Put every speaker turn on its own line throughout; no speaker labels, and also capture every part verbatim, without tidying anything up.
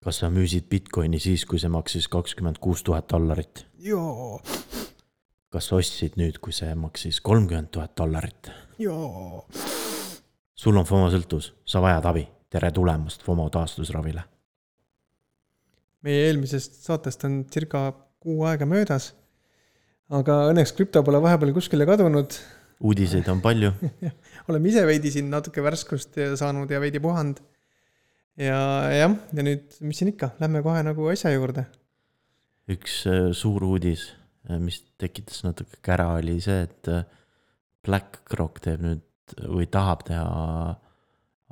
Kas sa müüsid Bitcoini siis, kui see maksis kakskümmend kuus tuhat dollarit?
Joo.
Kas sa ostsid nüüd, kui see maksis kolmkümmend tuhat dollarit?
Joo.
Sul on FOMO sõltus, sa vajad abi. Tere tulemast FOMO taastusravile.
Meie eelmisest saatest on circa kuu aega möödas, aga õnneks krüpto pole vahepeal kuskile kadunud.
Uudiseid on palju.
Oleme ise veidi siin natuke värskust saanud ja veidi puhand. Ja jah, ja nüüd, mis siin ikka, lähme kohe nagu asja juurde.
Üks suur uudis, mis tekitas natuke kära, oli see, et BlackRock teeb nüüd või tahab teha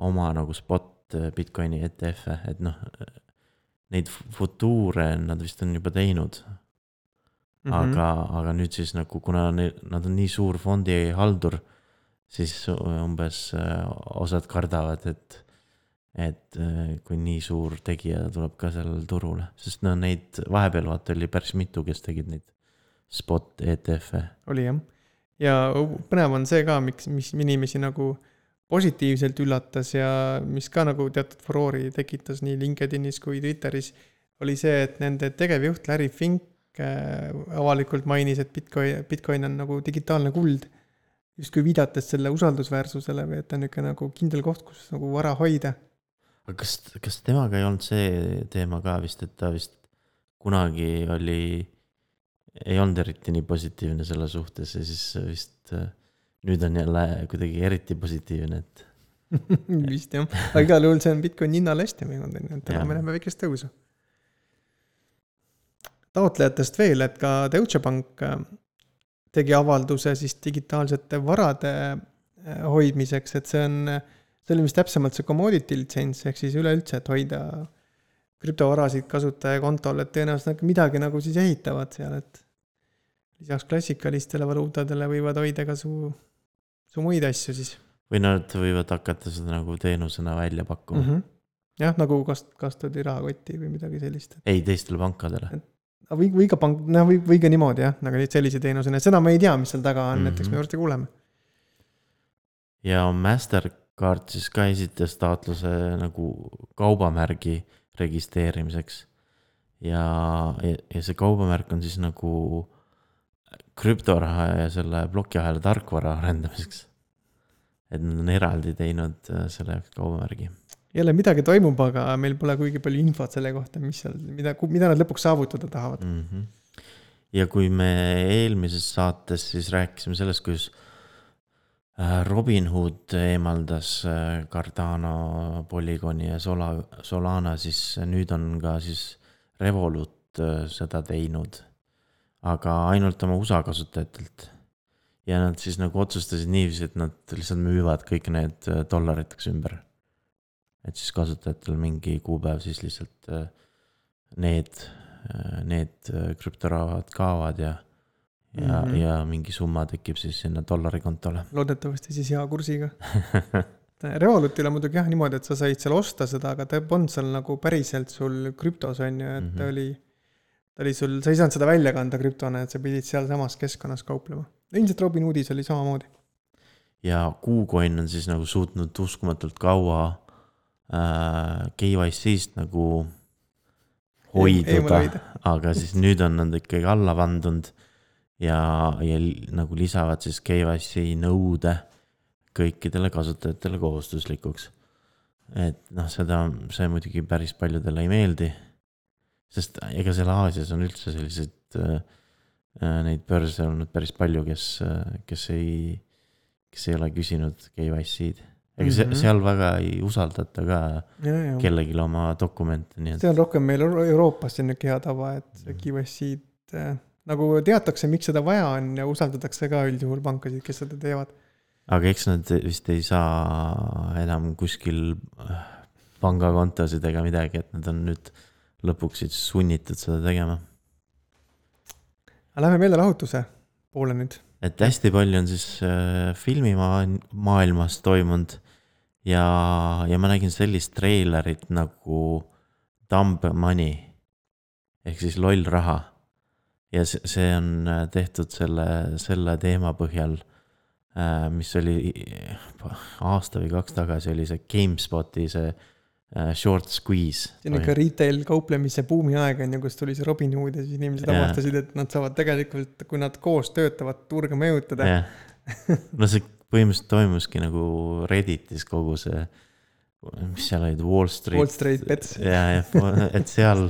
oma nagu spot Bitcoini E T F-e, et noh, neid futuure nad vist on juba teinud. Mm-hmm. Aga, aga nüüd siis nagu, kuna nad on nii suur fondi haldur, siis umbes osad kardavad, et et kui nii suur tegija tuleb ka sellel turule, sest no neid vahepeal vaata oli päris mitu, kes tegid neid spot E T F-e.
Oli jah. Ja põnev on see ka, miks, mis inimesi nagu positiivselt üllatas ja mis ka nagu teatud furoori tekitas nii LinkedInis kui Twitteris, oli see, et nende tegevjuht Larry Fink avalikult mainis, et Bitcoin, Bitcoin on nagu digitaalne kuld, just kui viidates selle usaldusväärsusele või et on niisugune nagu kindel koht, kus nagu vara hoida.
Aga kas, kas temaga ei olnud see teema ka vist, et ta vist kunagi oli, ei olnud eriti nii positiivne selle suhtes ja siis vist nüüd on jälle kuidagi eriti positiivne, et
vist jah, aga igal juhul see on Bitcoin hinnal hästi mõjunud, et täna me näeme väikest tõusu. Taotlejatest veel, et ka Deutsche Bank tegi avalduse siis digitaalsete varade hoidmiseks, et see on see oli mis täpsemalt see commodity license, ehk siis üleüldse, et hoida krüptovarasid kasutaja kontol, et tõenäoliselt midagi nagu siis ehitavad seal, et lisaks klassikalistele valuutadele võivad hoida ka su, su muid asju siis.
Või nad võivad hakata seda nagu teenusena välja pakkuma.
Mm-hmm. Jah, nagu kast, kastodi rahakotti või midagi sellist.
Ei, teistele pankadele.
Või, või ka pank, no, või, või ka niimoodi, jah, nagu sellise teenusena. Seda me ei tea, mis seal taga on, mm-hmm. Näiteks me juurde kuuleme.
Ja Mastercard siis ka esitas taotluse nagu kaubamärgi registreerimiseks. Ja, ja see kaubamärk on siis nagu krüptoraha ja selle blokiahela tarkvara arendamiseks. Et nad on eraldi teinud selle kaubamärgi.
Jälle midagi toimub, aga meil pole kuigi palju infot selle kohta, mis seal, mida, mida nad lõpuks saavutada tahavad.
Mm-hmm. Ja kui me eelmises saates siis rääkisime sellest, kus Robinhood eemaldas Cardano, Polygoni ja Sola, Solana, siis nüüd on ka siis Revolut seda teinud, aga ainult oma U S A kasutajatelt. Ja nad siis nagu otsustasid niiviisi, et nad lihtsalt müüvad kõik need dollariteks ümber. Et siis kasutajatel mingi kuupäev siis lihtsalt need, need krüptorahad kaavad ja Ja, mm-hmm. ja mingi summa tekib siis sinna dollari kontole.
Loodetavasti siis hea kursiga. Revolutil on muidugi jah niimoodi, et sa said seal osta seda, aga ta on seal nagu päriselt sul krüptos on ju, et mm-hmm. ta, oli, ta oli sul, sa ei saanud seda välja kanda krüptona, et sa pidid seal samas keskkonnas kauplema. Ilmselt Robinhoodis oli samamoodi.
Ja KuCoin on siis nagu suutnud uskumatult kaua äh, K Y C-st nagu hoiduda, aga siis nüüd on nad ikkagi alla vandunud. Ja, ja nagu lisavad siis K Y C nõude kõikidele kasutajatele kohustuslikuks. Et noh, seda, see muidugi päris paljudele ei meeldi, sest ega seal Aasias on üldse sellised äh, neid börse olnud päris palju, kes, kes, ei, kes ei ole küsinud K Y C-d. Ega mm-hmm. seal väga ei usaldata ka ja, ja. Kellelegi oma dokumente. Nii et...
See on rohkem meil Euroopas niisugune hea tava, et K Y C-d nagu teatakse, miks seda vaja on ja usaldatakse ka üldjuhul pankasid, kes seda teevad.
Aga eks nad vist ei saa enam kuskil pangakontosid ega midagi, et nad on nüüd lõpuks sunnitud seda tegema.
Lähme meelde lahutuse poole nüüd.
Et hästi palju on siis filmimaailmas toimunud ja, ja ma nägin sellist treilerit nagu Dumb Money ehk siis loll raha. Ja see on tehtud selle, selle teema põhjal, mis oli aasta või kaks tagasi, oli see GameSpoti see Short Squeeze.
See on ikka retail kauplemise buumi aeg on ju, kus tuli see Robin Hood ja siis inimesed avastasid, et nad saavad tegelikult, kui nad koos töötavad, turga mõjutada.
No see põhimõtteliselt toimuski nagu Redditis kogu see, mis seal olid, Wall Street.
Wall Street Bets.
Ja, ja, et seal,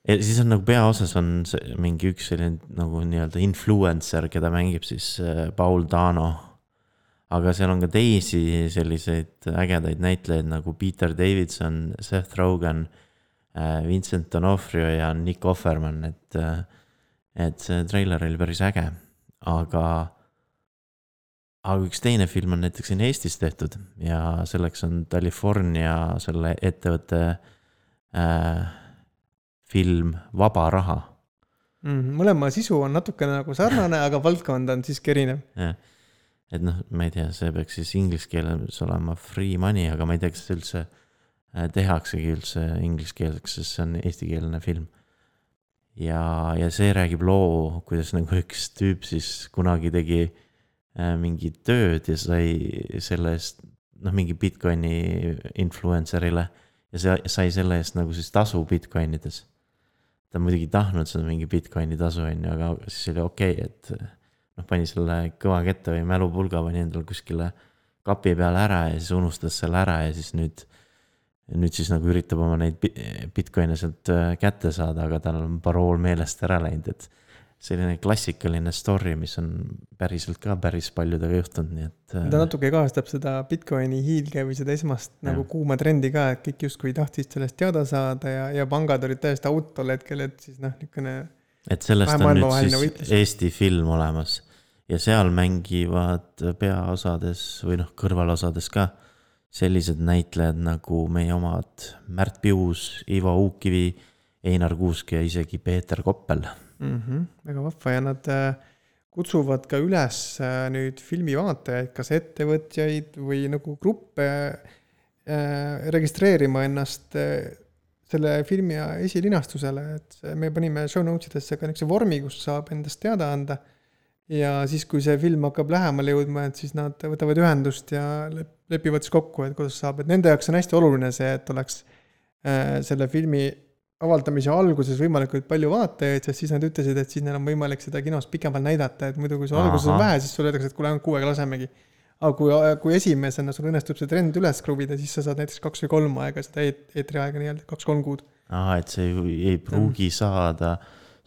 et siis on nagu peaosas on see, mingi üks selline nagu nii-öelda influencer, keda mängib siis Paul Dano. Aga seal on ka teisi selliseid ägedaid näitlejaid nagu Peter Davidson, Seth Rogen, Vincent D'Onofrio ja Nick Offerman, et, et see trailer oli päris äge. Aga, aga üks teine film on näiteks siin Eestis tehtud ja selleks on California selle ettevõtte äh, film Vaba raha.
Mm, mõlema sisu on natukene nagu sarnane, aga valdkond on siiski erinev.
Jah. Et noh, ma ei tea, see peaks siis inglise keeles olema free money, aga ma ei tea, kas see üldse tehaksegi üldse inglise keelseks, sest see on eestikeelne film. Ja, ja see räägib loo, kuidas nagu üks tüüp siis kunagi tegi mingi tööd ja sai selle eest, noh, mingi Bitcoini influencerile ja see sai selle eest nagu siis tasu Bitcoinides. Ta muidugi tahtnud seda mingi Bitcoini tasu, aga siis oli okei, okay, et noh, pani selle kõva kette või mälupulga pani endal kuskile kapi peale ära ja siis unustas selle ära ja siis nüüd, nüüd siis nagu üritab oma neid Bitcoine sealt kätte saada, aga tal on parool meelest ära läinud, et selline klassikaline story, mis on päriselt ka päris paljudega juhtunud, nii et
ta natuke kaastab seda Bitcoini hiilge või seda esmast ja. Nagu kuuma trendi ka, et kõik justkui tahtis sellest teada saada ja, ja pangad olid täiesti out tol hetkel, et siis noh, niisugune
et sellest on nüüd siis võitlis. Eesti film olemas ja seal mängivad peaosades või noh, kõrvalosades ka sellised näitlejad nagu meie omad Märt Pius, Ivo Uukivi, Einar Kuusk ja isegi Peeter Koppel.
Mm-hmm, väga vahva ja nad kutsuvad ka üles nüüd filmivaatajaid, kas ettevõtjaid või nagu gruppe registreerima ennast selle filmi esilinastusele, et me panime show notes'idesse ka niisuguse vormi, kus saab endast teada anda ja siis, kui see film hakkab lähemale jõudma, et siis nad võtavad ühendust ja lepivad siis kokku, et kuidas saab, et nende jaoks on hästi oluline see, et oleks selle filmi avaldamise alguses võimalikult palju vaatajaid, sest siis nad ütlesid, et siis neil on võimalik seda kinos pikemalt näidata, et muidu kui see alguses on vähe, siis sul öeldakse, et kuule ainult kuuega lasemegi. Aga kui, kui esimesena sul õnnestub see trend üles kruvida, siis sa saad näiteks kaks või kolm aega, seda eetri aega nii-öelda, kaks-kolm kuud.
Aha, et see ei, ei pruugi mm. saada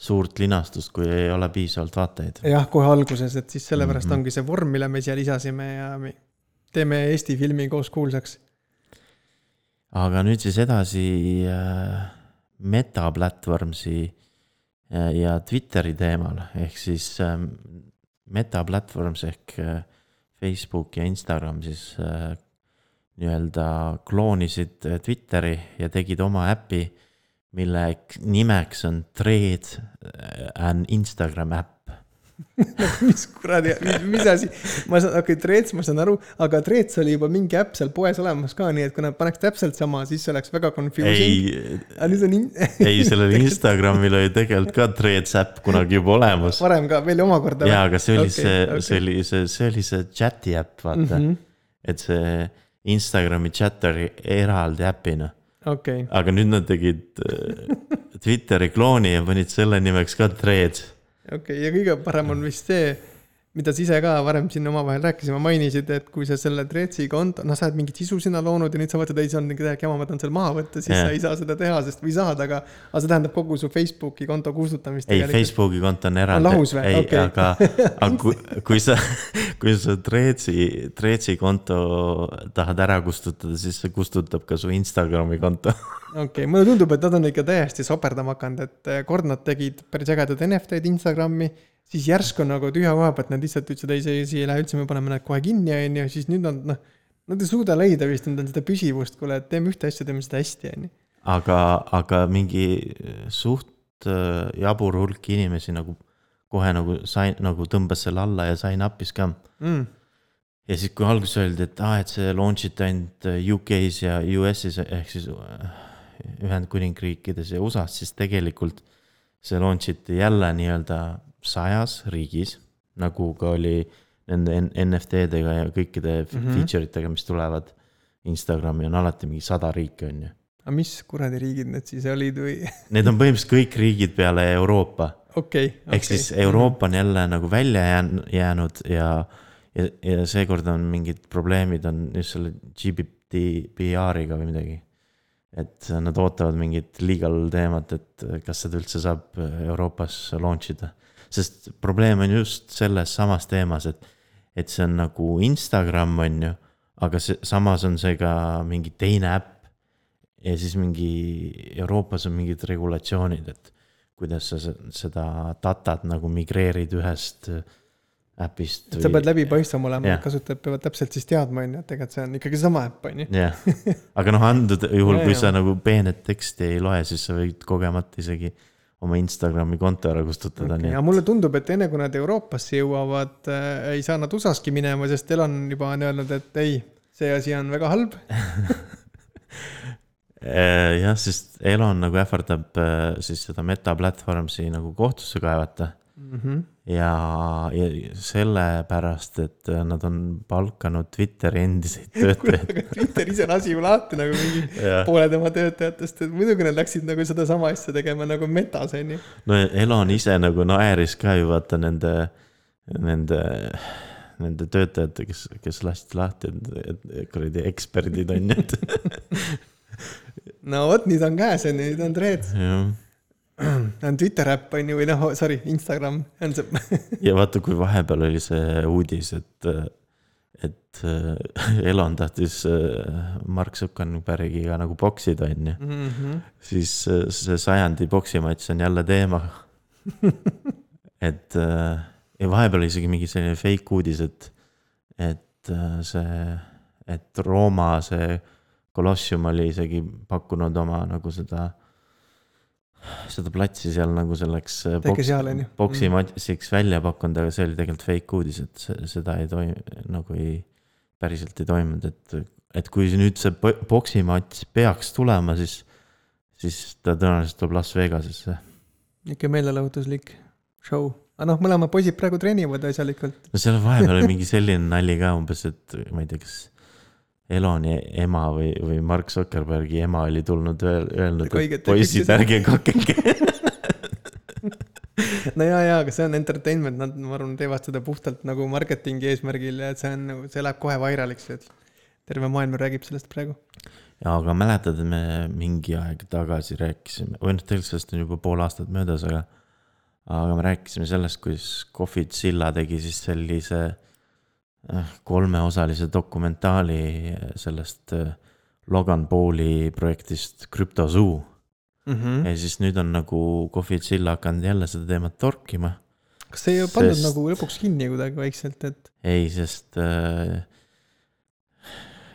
suurt linastust, kui ei ole piisavalt vaatajaid.
Jah, kohe alguses, et siis sellepärast mm-hmm. ongi see vorm, mille me siia lisasime ja me teeme Eesti filmi koos kuulsaks.
Aga nüüd siis edasi Meta platvormsi ja Twitteri teemal, ehk siis Meta platvorms ehk Facebook ja Instagram siis nii-öelda kloonisid Twitteri ja tegid oma äppi, mille nimeks on Threads and Instagram äpp.
mis kuradi, mis, mis asi? Ma saan, okei, okay, Threads ma saan aru, aga Threads oli juba mingi äpp seal poes olemas ka, nii et kui nad paneks täpselt sama, siis see oleks väga confusing.
Ei, in... ei sellel Instagramil oli tegelikult ka Threads äpp kunagi juba olemas.
Varem ka, veel omakorda.
Jaa, aga see oli, okay, see, okay. See, oli see, see oli see chati äpp, vaata. Mm-hmm. Et see Instagrami chat oli eraldi äppina.
Okay.
Aga nüüd nad tegid Twitteri klooni ja panid selle nimeks ka Threads.
Okei, okay, ja kõige parem on vist see, mida sa ise ka varem siin omavahel rääkisime, mainisid, et kui sa selle Threadsi konto, noh, sa oled mingit sisu sinna loonud ja nüüd sa võtad, ei, see on mingi täiega, ma võtan seal maha võtta, siis yeah. sa ei saa seda teha, sest või saad, aga, aga see tähendab kogu su Facebooki konto kustutamist.
Ei, tegelikult. Facebooki konto on eraldi.
On lahus või?
Ei,
okay.
aga, aga kui, kui sa, kui sa Threadsi, Threadsi konto tahad ära kustutada, siis see kustutab ka su Instagrami konto.
Okei, okay, mulle tundub, et nad on ikka täiesti soperdama hakanud, et kord nad tegid päris ägedad N F T-d Instagrami, siis järsku nagu tühja koha pealt nad lihtsalt ütlesid, ei, see, see ei lähe üldse, me paneme nad kohe kinni, ja siis nüüd nad, noh, nad ei suuda leida vist, nad on seda püsivust, kuule, et teeme ühte asja, teeme seda hästi, ja nii.
Aga, aga mingi suht jabur hulk inimesi nagu kohe nagu, sai, nagu tõmbas selle alla ja sai nappis ka.
Mm.
Ja siis kui alguses öeldi, et, ah, et see launchiti ainult U K-s ja U S-is, ehk siis Ühendkuningriikides ja U S A-s, siis tegelikult see launchiti jälle nii-öelda sajas riigis, nagu ka oli nende N F T-dega ja kõikide mm-hmm. feature'itega, mis tulevad Instagrami on alati mingi sada riiki on ju.
aga mis kuradi riigid need siis olid või?
Need on põhimõtteliselt kõik riigid peale Euroopa.
Okay,
ehk okay. siis Euroopa on jälle nagu välja jäänud ja, ja, ja seekord on mingid probleemid on just selle G D P R-iga või midagi. Et nad ootavad mingit legal teemat, et kas seda üldse saab Euroopas launch ida. Sest probleem on just selles samas teemas, et, et see on nagu Instagram on ju, aga see, samas on see ka mingi teine äpp. Ja siis mingi Euroopas on mingid regulatsioonid, et kuidas sa seda datat nagu migreerid ühest äpist.
Et sa pead läbi paistvam olema, yeah. Kasutajad peavad täpselt siis teadma, et tegelikult see on ikkagi sama äpp.
Yeah. Aga noh, andud juhul, ja, kui ja. Sa nagu peenet teksti ei loe, siis sa võid kogemata isegi oma Instagrami konto ära kustutada.
Okay. Ja mulle tundub, et enne kui nad Euroopasse jõuavad, äh, ei saa nad U S A-ski minema, sest Elon juba on öelnud, et ei, see asi on väga halb.
Jah, sest Elon nagu ähvardab siis seda Meta Platformsi nagu kohtusse kaevata mm -hmm. ja, ja sellepärast, et nad on palkanud Twitteri endiseid töötajaid.
Twitter ise on asi ju lahti nagu mingi poole tema töötajatest, et muidugi nad läksid nagu seda sama asja tegema nagu Metas, on ju.
No Elon ise nagu naeris ka ju vaata nende, nende, nende töötajate, kes, kes lasti lahti, et kuradi eksperdid on need.
No vot, nüüd on käes, nüüd on Threads. On Twitter äpp on ju, või noh, sorry, Instagram on see.
Ja vaata, kui vahepeal oli see uudis, et, et Elon tahtis Mark Zuckerbergiga nagu boksida on ju. Mm -hmm. Siis see sajandi boksimats on jälle teema. Et ja vahepeal oli isegi mingi selline fake uudis, et, et see, et Rooma see Colossium oli isegi pakkunud oma nagu seda, seda platsi seal nagu selleks boks, boksimatsiks välja pakkunud, aga see oli tegelikult fake uudis, et seda ei toim, nagu ei, päriselt ei toimunud, et, et kui nüüd see boksimats peaks tulema, siis, siis ta tõenäoliselt tuleb Las Vegasesse.
Ikka meelelahutuslik show. Aga noh, mõlema poisid praegu treenivad asjalikult.
No seal vahepeal oli mingi selline nali ka umbes, et ma ei tea, kas Eloni ema või, või Mark Zuckerbergi ema oli tulnud öelnud, et poisid ärge kakeke.
No jaa, jaa, aga see on entertainment, nad ma arvan, teevad seda puhtalt nagu marketingi eesmärgil ja see on nagu, see läheb kohe vairaliks, et terve maailm räägib sellest praegu.
Ja, aga mäletad, me mingi aeg tagasi rääkisime, või noh, tegelikult sellest on juba pool aastat möödas, aga, aga me rääkisime sellest, kuidas Coffeezilla tegi siis sellise kolmeosalise dokumentaali sellest Logan Pauli projektist CryptoZoo. Mm -hmm. Ja siis nüüd on nagu Coffeezilla hakanud jälle seda teemat torkima.
Kas see ei ole pandud sest... nagu lõpuks kinni kuidagi vaikselt, et?
Ei, sest äh,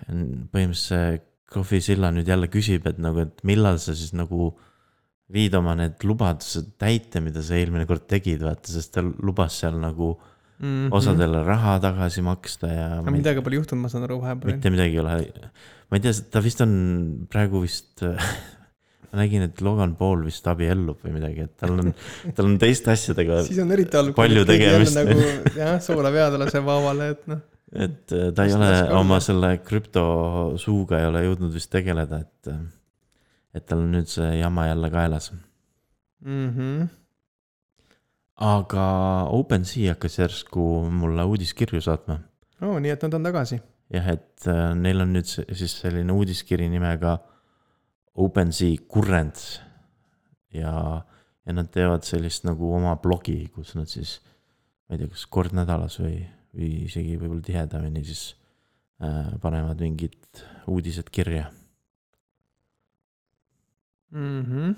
põhimõtteliselt Coffeezilla nüüd jälle küsib, et nagu, et millal sa siis nagu viid oma need lubadused täite, mida sa eelmine kord tegid, vaata, sest ta lubas seal nagu Mm-hmm. osadele raha tagasi maksta ja
aga midagi pole juhtunud, ma saan aru vahepeal.
Mitte midagi ei ole. Ma ei tea, ta vist on praegu vist ma nägin, et Logan Paul vist abiellub või midagi, et tal on, tal on teiste asjadega
siis on eriti all,
palju tegemist.
Nagu, jah, soola veadele see vaavale, et noh.
Et ta ei ole oma selle krüptosuuga ei ole jõudnud vist tegeleda, et, et tal on nüüd see jama jälle kaelas. Mhm. Aga OpenSea hakkas järsku mulle uudiskirju saatma.
Oo, nii et nad on tagasi.
Jah, et neil on nüüd siis selline uudiskiri nimega OpenSea Currents ja, ja nad teevad sellist nagu oma blogi, kus nad siis, ma ei tea, kas kord nädalas või, või isegi võib-olla tihedamini siis äh, panevad mingid uudised kirja.
Mhm.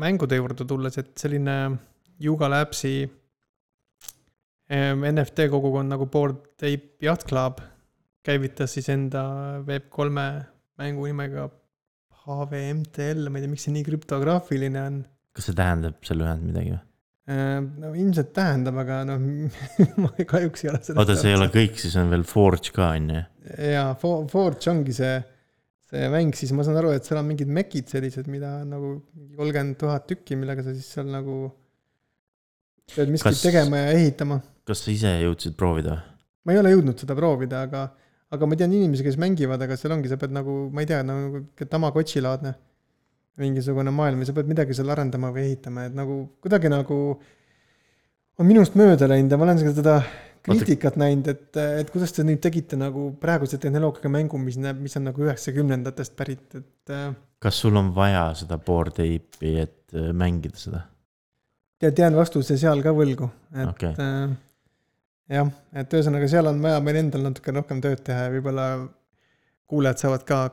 Mängude juurde tulles, et selline Yuga Labsi N F T kogukond nagu Bored Ape Yacht Club käivitas siis enda Web kolme mängu nimega H V M T L, ma ei tea, miks see nii krüptograafiline on.
Kas see tähendab selle ühend midagi või?
No ilmselt tähendab, aga noh, ma kahjuks ei ole seda.
Oota, see ei ole kõik, siis on veel Forge ka, on ju?
Jaa, Forge ongi see, see mäng, siis ma saan aru, et seal on mingid mekid sellised, mida nagu kolmkümmend tuhat tükki, millega sa siis seal nagu pead miskit tegema ja ehitama.
Kas sa ise jõudsid proovida?
Ma ei ole jõudnud seda proovida, aga, aga ma tean inimesi, kes mängivad, aga seal ongi, sa pead nagu, ma ei tea, nagu Tamagotchi-laadne mingisugune maailm ja sa pead midagi seal arendama või ehitama, et nagu kuidagi nagu on minust mööda läinud ja ma olen seda kriitikat näinud, et, et kuidas te nüüd tegite nagu praeguse tehnoloogiaga mängu, mis näeb, mis on nagu üheksakümnendatest pärit, et
kas sul on vaja seda Bored Ape'i, et mängida seda?
Ja tean vastuse seal ka võlgu, et
okay.
äh, jah, et ühesõnaga seal on vaja meil endal natuke rohkem tööd teha ja võib-olla kuulajad saavad ka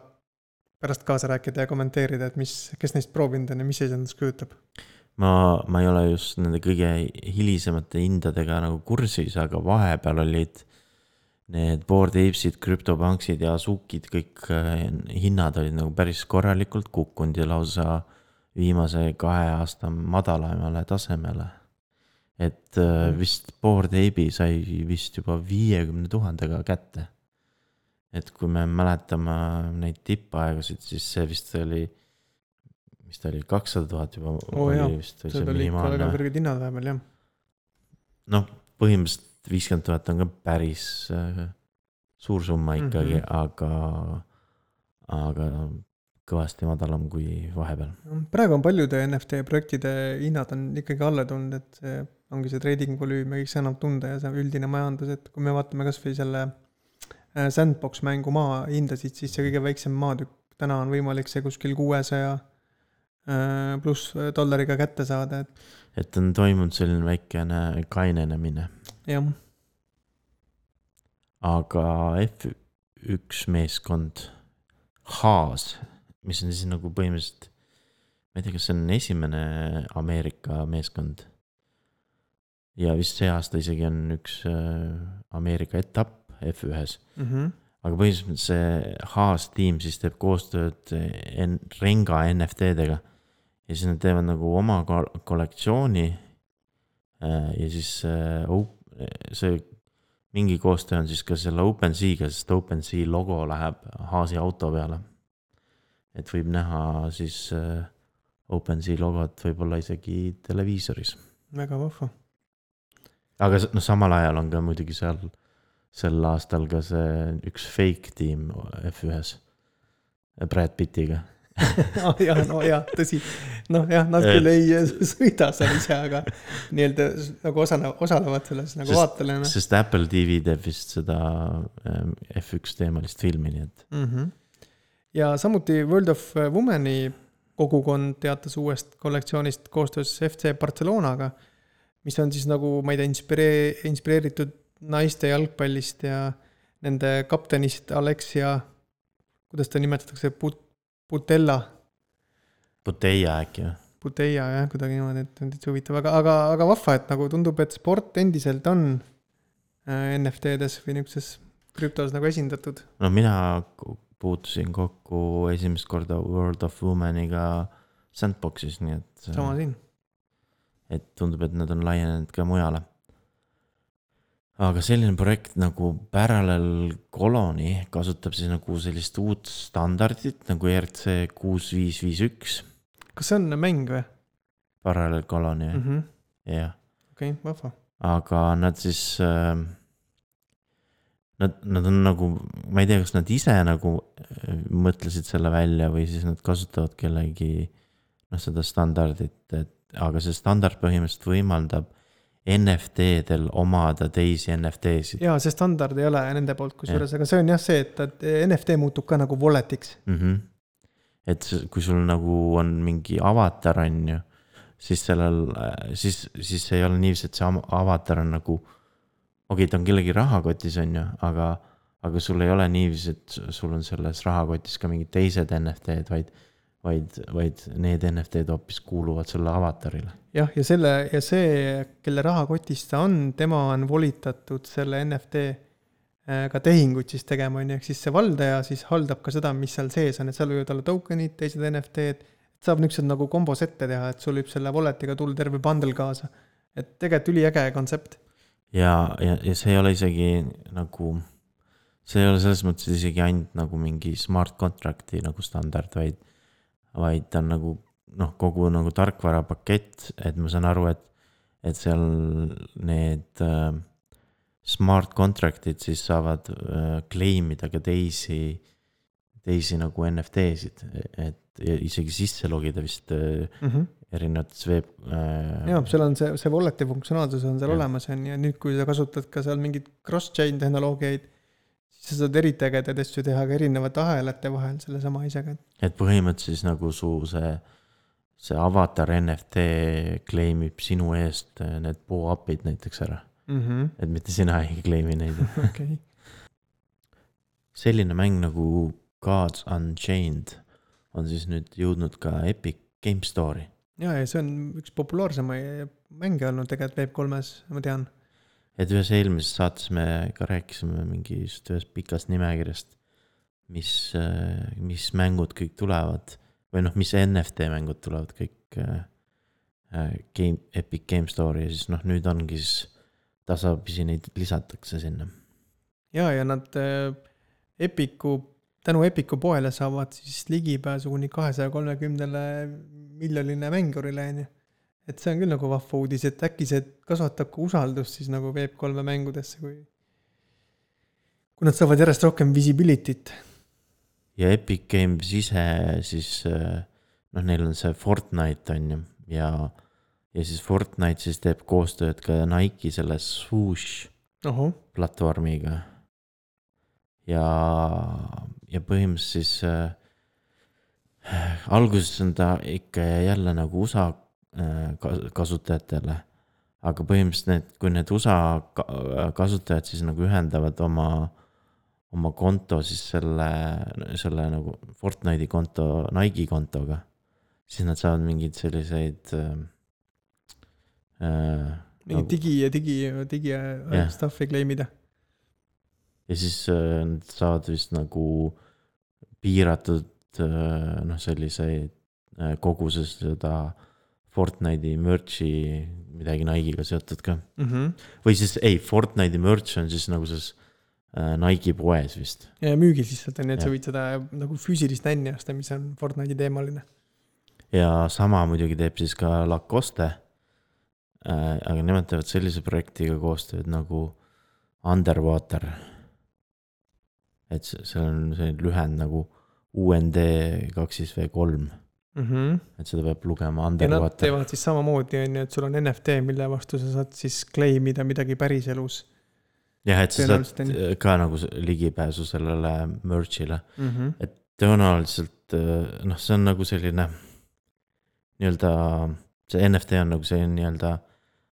pärast kaasa rääkida ja kommenteerida, et mis, kes neist proovinud on ja mis see endast kujutab.
Ma, ma ei ole just nende kõige hilisemate hindadega nagu kursis, aga vahepeal olid need Bored Apesid, CryptoPunksid ja Azukid, kõik hinnad olid nagu päris korralikult kukkunud ja lausa viimase kahe aasta madalamale tasemele. Et mm. vist Bored Ape'i sai vist juba viiekümne tuhandega kätte. Et kui me mäletame neid tippaegasid, siis see vist oli, mis ta oli, kakssada tuhat juba
oh,
oli
jah.
vist.
See oli ikka väga kõrged hinnad vähemalt, jah.
No põhimõtteliselt viiskümmend tuhat on ka päris äh, suur summa ikkagi, mm-hmm. aga, aga kõvasti madalam kui vahepeal.
Praegu on paljude N F T projektide hinnad on ikkagi alla tulnud, et see ongi see trading volüüm ja kõik see annab tunda ja see üldine majandus, et kui me vaatame kas või selle Sandbox mängu maa hindasid, siis see kõige väiksem maatükk täna on võimalik see kuskil kuuesaja pluss dollariga kätte saada. Et,
et on toimunud selline väikene kainenemine.
Jah.
Aga F üks meeskond Haas, mis on siis nagu põhimõtteliselt, ma ei tea, kas see on esimene Ameerika meeskond. Ja vist see aasta isegi on üks Ameerika etapp F ühes. Mm-hmm. Aga põhimõtteliselt see Haas tiim siis teeb koostööd en, Renga N F T-dega. Ja siis nad teevad nagu oma kollektsiooni ja siis see mingi koostöö on siis ka selle OpenSea'ga, sest OpenSea logo läheb Haasi auto peale. Et võib näha siis OpenSea logot võib-olla isegi televiisoris.
Väga vahva.
Aga no, samal ajal on ka muidugi seal sel aastal ka see üks fake tiim F ühes Brad Pittiga.
oh, jah, no jah, tõsi. Noh jah, nad küll ei sõida seal ise, aga nii-öelda nagu osale, osalevad selles nagu vaatalena.
Sest Apple T V teeb vist seda F üks teemalist filmi, nii et.
Mm-hmm. Ja samuti World of Womani kogukond teatas uuest kollektsioonist koostöös F C Barcelonaga, mis on siis nagu, ma ei tea, inspiree, inspireeritud naiste jalgpallist ja nende kaptenist Alexia, kuidas ta nimetatakse, Put- Putella.
Puteia äkki.
Puteia, jah, kuidagi niimoodi, et on täitsa huvitav, aga, aga, aga vahva, et nagu tundub, et sport endiselt on N F T-des või niisuguses krüptos nagu esindatud.
No mina puutusin kokku esimest korda World of Womaniga Sandboxis, nii et
sama siin.
Et tundub, et nad on laienenud ka mujale. Aga selline projekt nagu Parallel Colony kasutab siis nagu sellist uut standardit nagu E R C kuus viis viis üks.
Kas see on mäng või?
Parallel Colony,
mm-hmm.
jah.
Okei, okay, vahva.
Aga nad siis äh, nad, nad on nagu, ma ei tea, kas nad ise nagu mõtlesid selle välja või siis nad kasutavad kellegi noh, seda standardit, et, aga see standard põhimõtteliselt võimaldab N F T-del omada teisi N F T-sid.
Jaa, see standard ei ole nende poolt kusjuures, aga see on jah see, et N F T muutub ka nagu walletiks.
Mm-hmm. Et kui sul nagu on mingi avatar on ju, siis sellel, siis, siis ei ole niiviisi, et see avatar on nagu, okei, okay, ta on kellegi rahakotis on ju, aga, aga sul ei ole niiviisi, et sul on selles rahakotis ka mingid teised N F T-d, vaid Vaid, vaid need N F T-d hoopis kuuluvad selle avatarile.
Jah, ja, selle, ja see, kelle rahakotist ta on, tema on volitatud selle N F T ka tehingut siis tegema, ehk siis see valdaja siis haldab ka seda, mis seal sees on, et seal võivad olla tokenid, teised N F T-d, saab niisugused nagu kombos ette teha, et sul võib selle walletiga tulla terve bundle kaasa. Et tegelikult üliäge kontsept.
Ja, ja, ja see ei ole isegi nagu, see ei ole selles mõttes isegi ainult nagu mingi smart contracti nagu standard, vaid vaid ta on nagu, noh, kogu nagu tarkvara pakett, et ma saan aru, et, et seal need, smart contract'id siis saavad äh, claimida ka teisi, teisi nagu N F T-sid, et isegi sisse logida vist äh, mm-hmm. erinevates veeb äh....
jah, seal on see, see wallet'i funktsionaalsus on seal ja. olemas on ja nüüd, kui sa kasutad ka seal mingid cross-chain tehnoloogiaid, siis sa saad eriti ägedaid asju teha ka erinevate ahelate vahel selle sama isega.
Et põhimõtteliselt siis nagu su see, see avatar N F T claimib sinu eest need po-up'id näiteks ära. Mm-hmm. Et mitte sina ei claimi neid.
Okay.
Selline mäng nagu Gods Unchained on siis nüüd jõudnud ka Epic Game Store'i.
Ja, ja see on üks populaarsema mänge olnud tegelikult Web kolmes, ma tean.
Et ühes eelmises saates me ka rääkisime mingist ühes pikast nimekirjast, mis, mis mängud kõik tulevad, või noh, mis N F T mängud tulevad kõik game, Epic Game Store'i ja siis noh, nüüd ongi siis tasapisi neid lisatakse sinna.
Ja, ja nad Epiku, tänu Epiku poele saavad siis ligipääsu kuni kahesaja kolmekümnele miljonile mängurile. Et see on küll nagu vahva uudis, et äkki see kasvatab ka usaldust siis nagu Web kolme mängudesse, kui, kui nad saavad järjest rohkem visibility't.
Ja Epic Games ise siis, noh, neil on see Fortnite on ju, ja Ja siis Fortnite siis teeb koostööd ka Nike selle Swoosh Oho. platvormiga. Ja, ja põhimõtteliselt siis äh, alguses on ta ikka jälle nagu U S A äh, kasutajatele. Aga põhimõtteliselt need, kui need U S A kasutajad siis nagu ühendavad oma, oma konto siis selle, selle nagu Fortnite'i konto Nike kontoga, siis nad saavad mingid selliseid... Äh,
Uh, nagu, digi ja digi, digi yeah. stuffi claimida.
Ja siis uh, nad saavad vist nagu piiratud uh, noh, selliseid uh, koguses seda Fortnite'i merch'i midagi Nike'iga seotud ka. Mm-hmm. Või siis, ei, Fortnite'i merch on siis nagu siis uh, Nike poes vist.
Ja müügis lihtsalt on, et ja. Sa võid seda nagu füüsilist nänni osta, mis on Fortnite'i teemaline.
Ja sama muidugi teeb siis ka Lacoste. Äh, aga nemad teevad sellise projektiga koostööd nagu Underwater. Et see on see lühend nagu U N D kaks V kolm. Mm-hmm. Et seda peab lugema Underwater.
Ja nad teevad siis samamoodi, et sul on N F T, mille vastu sa saad siis claimida midagi päris elus.
Jah, et sa saad ka nagu ligipääsu sellele merch'ile. Mm-hmm. Et tõenäoliselt, noh, see on nagu selline nii-öelda, see N F T on nagu see nii-öelda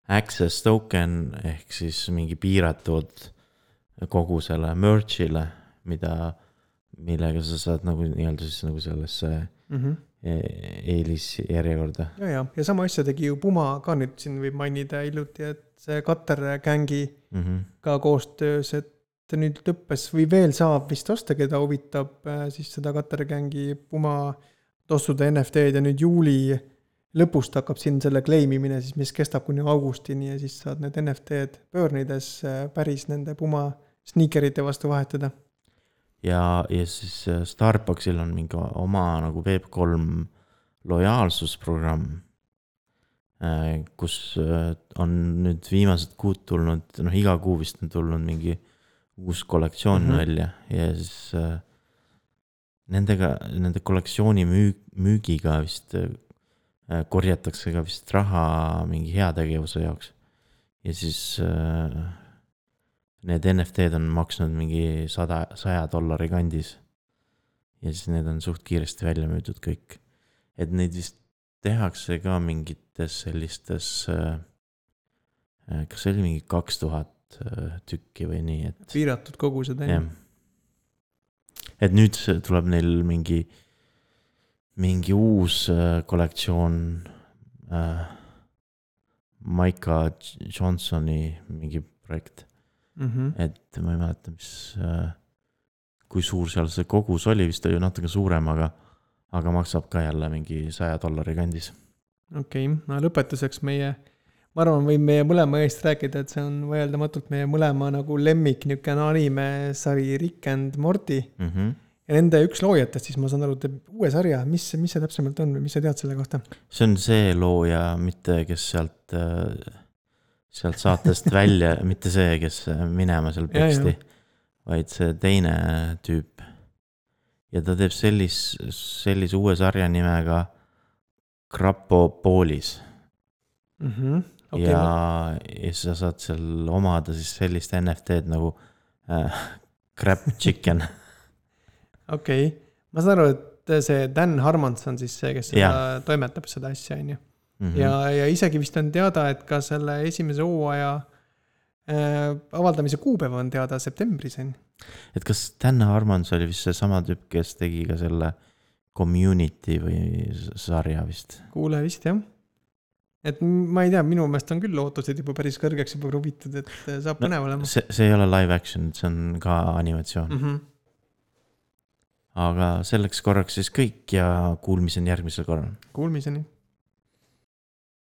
access token ehk siis mingi piiratud kogu selle merch'ile, mida, millega sa saad nagu nii-öelda siis nagu sellesse mm-hmm. eelis järjekorda.
Ja, ja, ja sama asja tegi ju Puma ka nüüd siin võib mainida hiljuti, et see Cutter Gangi mm-hmm. ka koostöös, et nüüd lõppes või veel saab vist osta, keda huvitab siis seda Cutter Gangi Puma tossuda N F T-d ja nüüd juuli lõpust hakkab siin selle claimimine, siis mis kestab kuni augustini ja siis saad need N F T-d pöörnides päris nende Puma sneakerite vastu vahetada.
Ja, ja siis Starbucksil on mingi oma nagu Web kolm lojaalsusprogramm, kus on nüüd viimased kuud tulnud, noh iga kuu vist on tulnud mingi uus kollektsioon mm-hmm. välja ja siis nendega, nende kollektsiooni müü, müügiga vist korjatakse ka vist raha mingi heategevuse jaoks. Ja siis äh, need N F T-d on maksnud mingi sada, saja dollari kandis. Ja siis need on suht kiiresti välja müüdud kõik. Et neid vist tehakse ka mingites sellistes, äh, kas see oli mingi kaks tuhat äh, tükki või nii. Et,
piiratud kogused.
Jah. Et nüüd tuleb neil mingi mingi uus äh, kollektsioon äh, Micah Johnsoni mingi projekt. Mm-hmm. Et ma ei mäleta, mis äh, kui suur seal see kogus oli, vist oli natuke suurem, aga, aga maksab ka jälle mingi saja dollari kandis.
Okei, okay. No lõpetuseks meie, ma arvan, võin meie mõlema eest rääkida, et see on vaieldamatult meie mõlema nagu lemmik niisugune anime sari Rick and Morty. Mm-hmm. Ja nende üks loojatest, siis ma saan aru, teeb uue sarja, mis, mis see täpsemalt on või mis sa tead selle kohta?
See on see looja, mitte kes sealt sealt saatest välja, mitte see, kes minema seal peksti, vaid see teine tüüp. Ja ta teeb sellis, sellise uue sarja nimega Krapopolis.
Mm-hmm. Okay.
Ja, ja sa saad seal omada siis sellist N F T-d nagu äh, Crap Chicken.
Okei, okay. Ma saan aru, et see Dan Harmons on siis see, kes seda toimetab seda asja, on ju. Mm-hmm. Ja, ja isegi vist on teada, et ka selle esimese hooaja äh, avaldamise kuupäev on teada septembris. On.
Et kas Dan Harmons oli vist see sama tüüp, kes tegi ka selle Community või sarja vist?
Kuule vist, jah. Et ma ei tea, minu meelest on küll ootused juba päris kõrgeks juba rubitud, et saab põnev no, olema.
See, see ei ole live action, see on ka animatsioon. Mm-hmm. Aga selleks korraks siis kõik ja kuulmiseni järgmisel korral.
Kuulmiseni.